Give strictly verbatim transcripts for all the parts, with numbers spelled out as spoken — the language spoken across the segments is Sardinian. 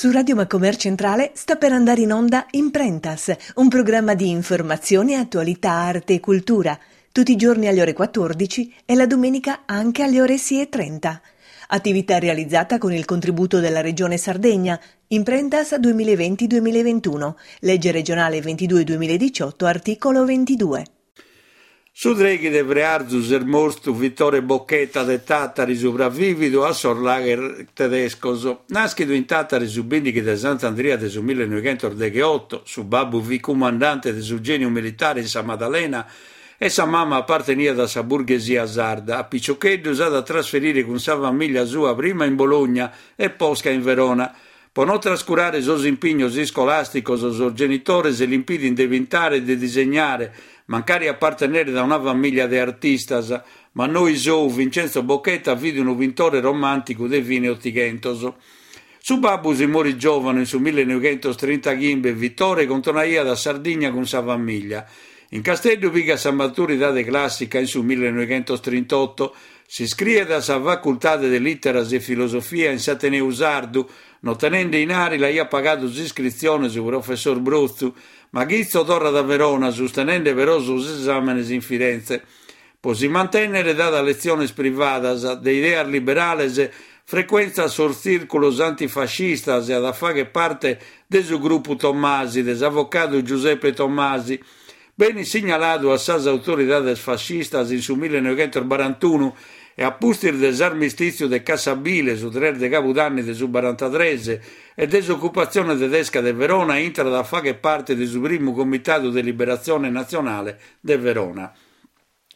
Su Radio Macomer Centrale sta per andare in onda Imprentas, un programma di informazione, attualità, arte e cultura, tutti i giorni alle ore quattordici e la domenica anche alle ore sei e trenta. Attività realizzata con il contributo della Regione Sardegna, Imprentas duemilaventi duemilaventuno, legge regionale ventidue duemiladiciotto, articolo ventidue. Su trèighi de frearzu s'est mortu Vittore Bocchetta de Tàtari, supravìvidu a sos lager tedescos. Nàschidu in Tàtari su bìndighi de Sant'Andria de su millenoighentos degheoto, su babbu fit cumandante de su gèniu militare in sa Madalena e sa mama aparteniat a sa burghesia sarda. A piciocheddu s'at a trasferire cun sa famìlia sua prima in Bologna e posca in Verona. Pro non trascurare sos impignos iscolàsticos, sos genitores l'impidint de pintare e de disegnare, mancari aparteneret a una famìlia de artistas. Ma noi sou Vincenzo Bocchetta fit unu pintore romànticu de fine Otighentos. Su babbu si morit giòvanu in su millenoighentos trintaghimbe e Vittore contonaiat a Sardigna cun sa famìlia. In Casteddu pigat sa maturidade clàssica in su millenoighentos trintotto. S'iscriet a sa Facultade de Lìteras e Filosofia in s'Ateneu Sardu, no tenende inari l'aiat pagadu s'iscritzione su professor Brotzu, ma chitzo torrat a Verona, sustenende però sos esàmenes in Firenze. Pro si mantènnere dat letziones privadas. De ideas liberales, frecuentat sos tzìrculos antifascistas e at a fàghere parte de su grupu Tommasi, de s'avocadu Giuseppe Tommasi. Benit signaladu a sas autoridades fascistas in su millenoighentos barantunu e a pustis de s'armistìtziu de Cassabile, su tres de Cabudanni de su barantatrès, e de s'ocupatzione tedesca de Verona, intrat a fàghere parte de su primu Comitadu de Liberatzione Natzionale de Verona.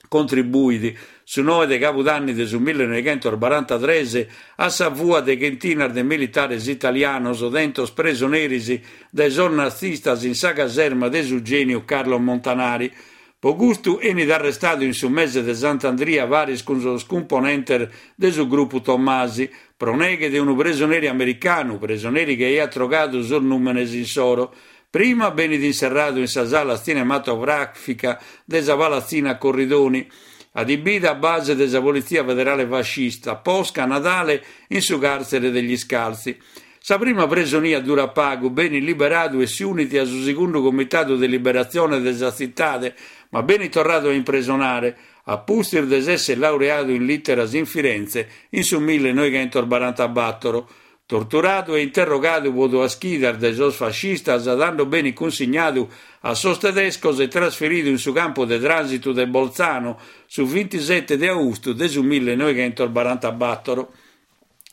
Contribuit, su noe de Cabudanni de su millenoighentos barantatrès, a sa fua de chentinas de militares italianos tentos presoneris dae sos nazistas in sa caserma de su gèniu Carlo Montanari. Pro custu enit arrestadu in su mese de Sant'Andria paris cun sos cumponentes de su grupu Tommasi, pro neghe de unu presoneri americanu, presoneri chi aiat trogadu sos nùmenes insoro. Prima benit inserradu in sa sala tzinematogràfica de sa Palazzina Corridoni, adibida a base de sa Polizia Federale Fascista, posca a Nadale in su càrtzere degli Scalzi. Sa prima presonia dura pagu, benit liberadu e si unit a su segundu Comitadu de Liberatzione de sa tzitade, ma benit torradu a impresonare, a pustis de s'essere laureadu in lìteras in Firenze in su millenoighentos barantabator. Torturadu e interrogadu pro duas chidas dae sos fascistas, tando benit cunsignadu a sos tedescos e trasferidu in su campu de trànsitu de Bolzano su bintisete de austu de su millenoighentos barantabator.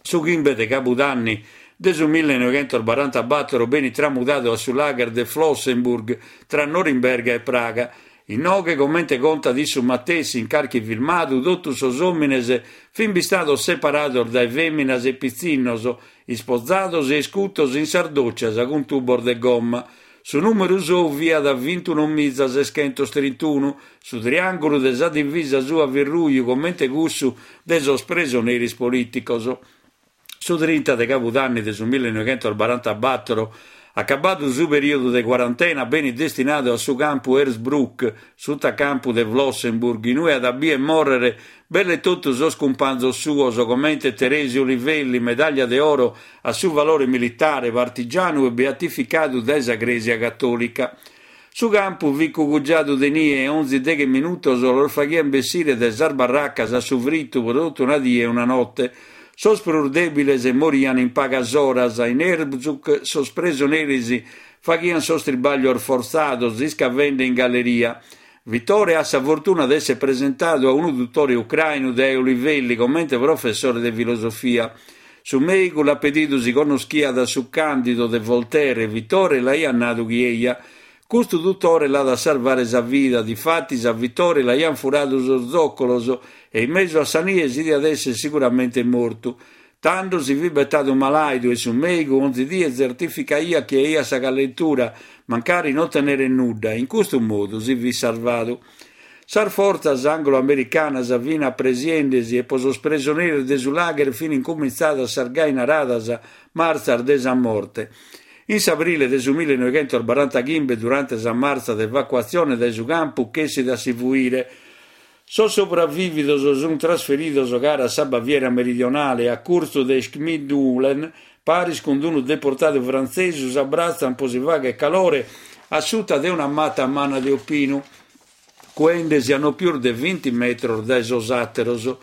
Su chimbe de Cabudanni de su millenoighentos barantabator benit tramudadu a su lager de Flossenburg tra Norimberga e Praga. Inoghe, comente contat issu matessi in carchi filmadu, totus sos òmines fin bistados separados dae fèminas e pitzinnos, ispozados e iscutos in sas dòcias cun tubos de gomma. Su nùmeru sou fiat bintunomiza seschentos trintunu, su triàngulu de sa divisa sua fit ruju comente cussu de sos presoneris polìticos. Su trinta de Cabudanni de su millenoighentos barantabator, acabadu su perìodu de cuarantena, benit destinadu a su campu Hersbruck, sutacampu de Flossenburg, inue at a bìdere mòrrere belle totu sos cumpanzos suos, comente Teresio Olivelli, medàllia de oro a su valore militare, partigianu e beatificadu dae sa Crèsia Catòlica. Su campu fit cugugiadu de nie e onzi deghe minutos los faghiant bessire dae sas barracas a su fritu pro totu una die e una note. Sos prus dèbiles moriant in pagas oras. In Hersbruck sos presoneris faghiant sos tribàglios fortzados, iscavende in galleria. Vittore at sa fortuna de essere presentadu a unu dutore ucrainu dae Olivelli comente professore de filosofia. Su mèigu l'at pedidu si connoschiat su Càndido de Voltaire e Vittore l'aiat nadu chi eia. Custu dutore l'at a salvare sa vida, difatis a Vittore l'aiant furadu sos zòcolos e in mesu a sa nie si diat essere siguramente mortu. Tando si fit betadu malàidu e su mèigu onzi die tzertificaiat chi aiat sa callentura, mancari non teneret nudda. In custu modu si fit salvadu. Sas fortzas anglo-americanas fin apresiendesi e pro sos presoneris de su lager fin incumintzadas sas gai naradas martzas de sa morte. In s'abrile de su millenoighentos barantaghimbe, durante sa martza de evacuatzione dae su campu, chessit a si fuire. Sos sopravìvidos sunt trasferidos cara a sa Baviera meridionale, a curtzu de Schmidmühlen, Paris cun unu deportadu frantzesu s'abbratzan po si fagher calore a suta de una mata manna de opinu, cuendesi a no pius de vinti metros dae sos àteros.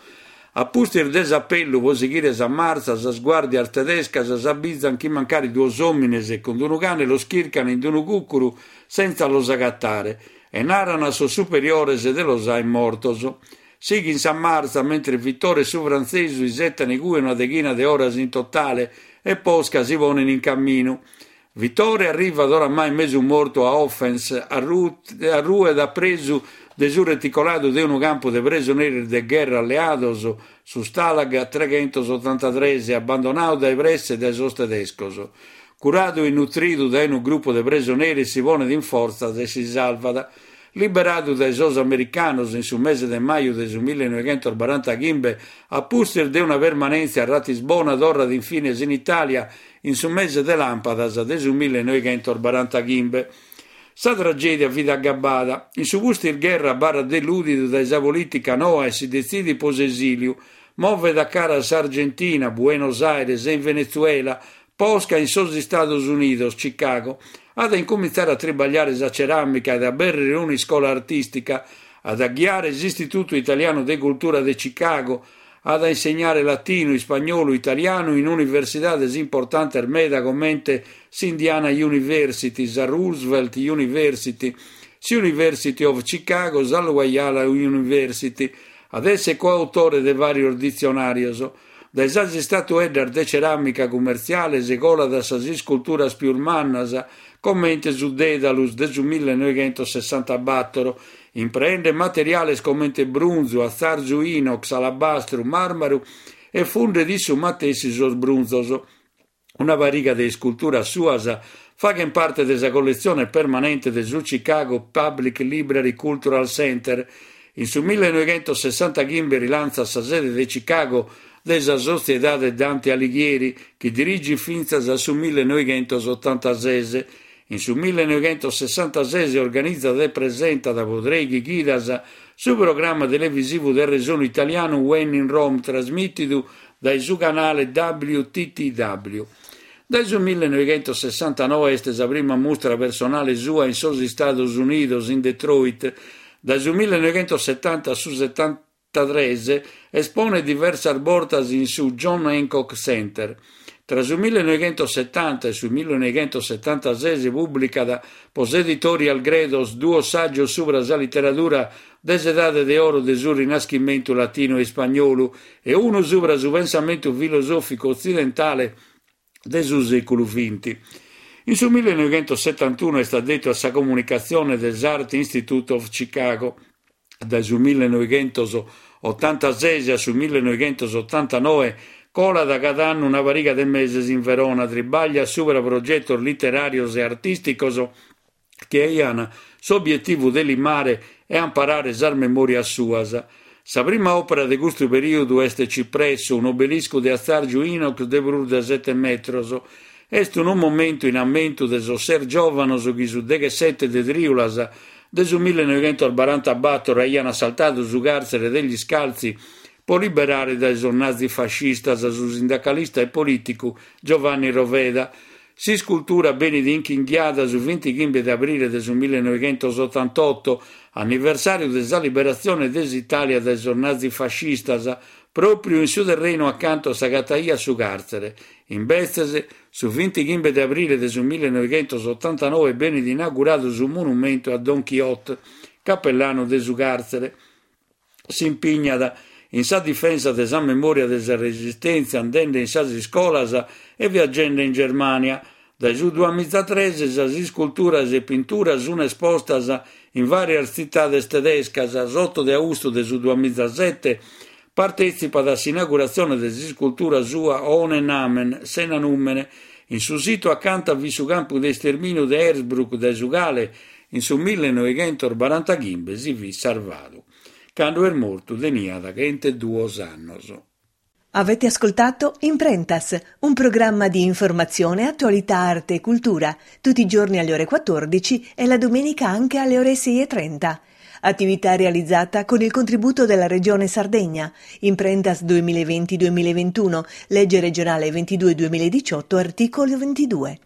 A pustis de s'apellu po sighire sa martza, sas guàrdias tedescas s'abizan chi mancari duos òmines cun unu cane los chircan in unu cùcuru sentza los agatare e naran a sos superiores de los aer mortos. Sighin sa martza mentre Vittore e su frantzesu isetan igue una deghina de oras in totale e posca si ponen in camminu. Vittore arrivat oramai mesu mortu a Hoffens, arruet a presu de su reticoladu de unu campu de presoneris de gherra alleados, su Stalag treghentosotantatres, abbandonadu dae presse dae sos tedescos. Curadu e nutridu dae unu grupu de presoneris si ponet in fortzas e si salvat. Liberadu dae sos americanos in su mese de maju de su millenoighentosbarantachimbe, a pustis de una permanèntzia a Ratisbona torrat infines in Italia in su mese de làmpadas de su millenoighentosbarantachimbe. Sa tragèdia fit agabbada. In su pustis gherra abarrat delùdidu dae sa polìtica noa e si detzidit po s'esìliu. Movet a cara a s'Argentina, Buenos Aires e in Venezuela, posca in sos Istados Unidos, Chicago. At a incumintzare a tribagliare sa ceràmica e a abèrrere un'iscola artìstica, at a ghiare s'Istitutu Italianu de Cultura de Chicago, at a insegnare latinu, ispagnolu, italianu in universidades importantes meda comente s'Indiana University, sa Roosevelt University, s'University of Chicago, sa Loyola University. At essere coautore de vàrios ditzionàrios. Dae sas istatueddas de ceràmica cummertziale si colat a sas isculturas pius mannas, comente su Dedalus de su millenoighentosessantabatoro, impreende materiales comente brunzu, atzarzu inox, alabastru, màrmaru e fundet issu matessi sos brunzos. Una pariga de isculturas suas faghen parte de sa colletzione permanente de su Chicago Public Library Cultural Center. In su millenoighentosessantachimbe rilantzat sa sede de Chicago de sa Sotziedade Dante Alighieri, chi dirigit fintzas a su millenoighentosottantases. In su millenoighentosessantases organizat e presentat po trèighi chidas su programma televisivu de resonu italianu When in Rome, trasmìtidu dae su canale W T T W. Dae su millenoighentosessantanoe est sa prima mustra personale sua in sos Istados Unidos, in Detroit. Dae su millenoighentosetanta a su setantatres esponet diversas bortas in su John Hancock Center. Tra su millenoighentosetanta e su millenoighentosetantases pùblicat po s'Editorial Gredos duos sàgios subra sa literadura de s'edade de oro de su Rinaschimentu latinu e ispagnolu e unu subra su pensamentu filosòficu otzidentale de su sèculu vinti. In su millenoighentosetantunu est addetu a sa comunicatzione de s'Art Institute of Chicago. Dae su millenoighentosottantases a su millenoighentosotantanoe colat cada annu una pariga de meses in Verona, tribaglia subra progetos literàrios e artìsticos chi aian s'obietivu de limare e amparare sas memòrias suas. Sa prima òpera de custu perìodu est Cipresso, un obeliscu de atzàrgiu inox de prus de sete metros. Est unu momentu in ammentu de sos ses giòvanos chi su deghessete de trìulas de su millenoighentosbarantabatoro aian assaltadu su càrtzere degli Scalzi po liberare dae sos nazifascistas su sindacalista e polìticu Giovanni Roveda. S'iscultura benit inchinghiada su vintichimbe de abrile de su millenoighentosotantotto, anniversàriu de sa liberatzione de s'Itàlia dae sos nazifascistas, pròpiu in su terrenu acantu s'agataiat su càrtzere. Imbetzes, su vintichimbe de abrile de su millenoighentosotantanoe benit inauguradu su monumentu a Don Quixote, capellanu de su càrtzere. S'impignat in sa difensa de sa memòria de sa resistèntzia andende in sas iscolas e viagende in Germània. Dae su duamizatres sas isculturas e pinturas sunt espostas in vàrias tzitades tedescas. S'otto de austu de su duamizasete partètzipat a s'inauguratzione de s'iscultura sua Ohne Namen, sena nùmene, in su situ acanta fit su campu de istermìniu de Hersbruck, dae su cale in su millenoighentosbarantachimbe si fit sarvadu. Cando est mortu teniat chenteduos annos. Avete ascoltato Imprentas, un programma di informazione, attualità, arte e cultura, tutti i giorni alle ore quattordici e la domenica anche alle ore sei e trenta. Attività realizzata con il contributo della Regione Sardegna. Imprentas duemilaventi-duemilaventuno, legge regionale ventidue duemiladiciotto, articolo ventidue.